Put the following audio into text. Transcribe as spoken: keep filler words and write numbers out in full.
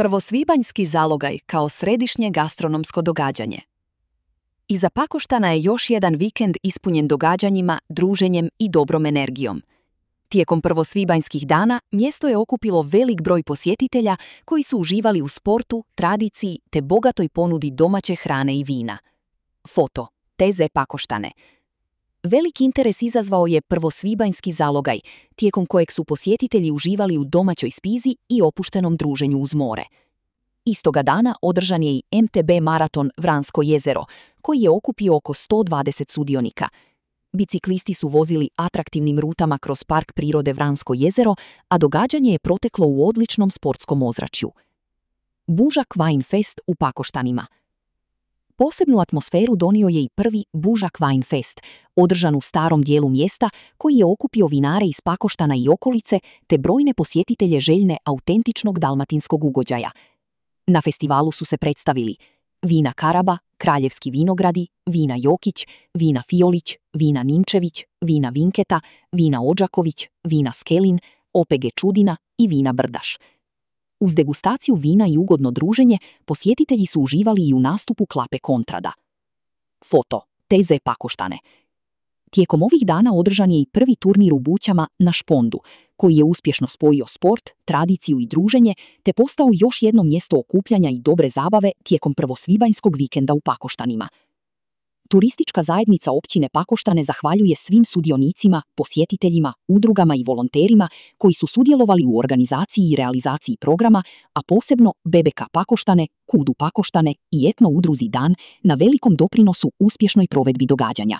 Prvosvibanjski zalogaj kao središnje gastronomsko događanje. Iza Pakoštana je još jedan vikend ispunjen događanjima, druženjem i dobrom energijom. Tijekom prvosvibanjskih dana mjesto je okupilo velik broj posjetitelja koji su uživali u sportu, tradiciji te bogatoj ponudi domaće hrane i vina. Foto. T Z Pakoštane. Velik interes izazvao je prvosvibanjski zalogaj, tijekom kojeg su posjetitelji uživali u domaćoj spizi i opuštenom druženju uz more. Istoga dana održan je i M T B maraton Vransko jezero, koji je okupio oko sto dvadeset sudionika. Biciklisti su vozili atraktivnim rutama kroz park prirode Vransko jezero, a događanje je proteklo u odličnom sportskom ozračju. Bužak Wine Fest u Pakoštanima. Posebnu atmosferu donio je i prvi Bužak Wine Fest, održan u starom dijelu mjesta, koji je okupio vinare iz Pakoštana i okolice te brojne posjetitelje željne autentičnog dalmatinskog ugođaja. Na festivalu su se predstavili vina Karaba, Kraljevski vinogradi, vina Jokić, vina Fiolić, vina Ninčević, vina Vinketa, vina Odžaković, vina Skelin, O P G Čudina i vina Brdaš. Uz degustaciju vina i ugodno druženje, posjetitelji su uživali i u nastupu Klape Kontrada. Foto. T Z Pakoštane. Tijekom ovih dana održan je i prvi turnir u Bućama na Špondu, koji je uspješno spojio sport, tradiciju i druženje, te postao još jedno mjesto okupljanja i dobre zabave tijekom prvosvibanjskog vikenda u Pakoštanima. Turistička zajednica općine Pakoštane zahvaljuje svim sudionicima, posjetiteljima, udrugama i volonterima koji su sudjelovali u organizaciji i realizaciji programa, a posebno B B K Pakoštane, Kudu Pakoštane i etno udruzi Dan na velikom doprinosu uspješnoj provedbi događanja.